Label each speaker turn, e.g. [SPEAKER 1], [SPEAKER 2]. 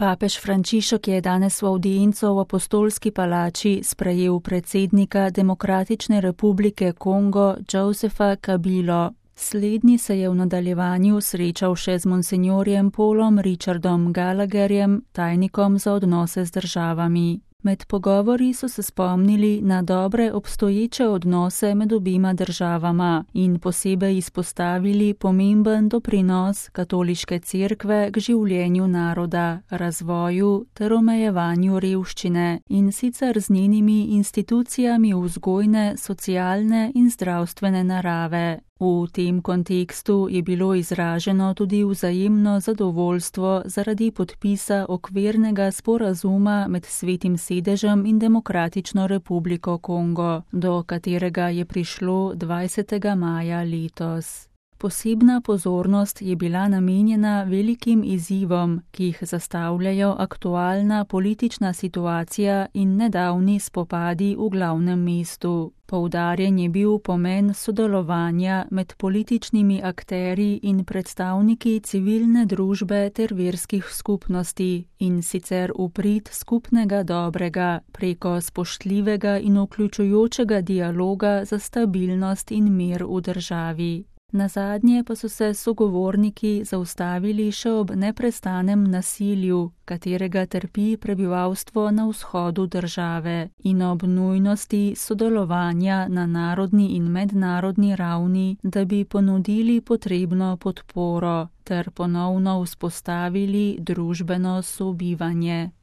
[SPEAKER 1] Papež Frančišek je danes v avdienco v Apostolski palači sprejel predsednika Demokratične republike Kongo Josepha Kabilo. Slednji se je v nadaljevanju srečal še z monsinjorjem Paulom Richardom Gallagherjem, tajnikom za odnose z državami. Med pogovori so se spomnili na dobre obstoječe odnose med obima državama in posebej izpostavili pomemben doprinos katoliške cerkve k življenju naroda, razvoju ter omejevanju revščine, in sicer z njenimi institucijami vzgojne, socialne in zdravstvene narave. V tem kontekstu je bilo izraženo tudi vzajemno zadovoljstvo zaradi podpisa okvirnega sporazuma med Svetim sedežem in Demokratično republiko Kongo, do katerega je prišlo 20. maja letos. Posebna pozornost je bila namenjena velikim izzivom, ki jih zastavljajo aktualna politična situacija in nedavni spopadi v glavnem mestu. Poudarjen je bil pomen sodelovanja med političnimi akterji in predstavniki civilne družbe ter verskih skupnosti, in sicer v prid skupnega dobrega preko spoštljivega in vključujočega dialoga za stabilnost in mir v državi. Nazadnje pa so se sogovorniki zaustavili še ob neprestanem nasilju, katerega trpi prebivalstvo na vzhodu države, in ob nujnosti sodelovanja na narodni in mednarodni ravni, da bi ponudili potrebno podporo ter ponovno vzpostavili družbeno sobivanje.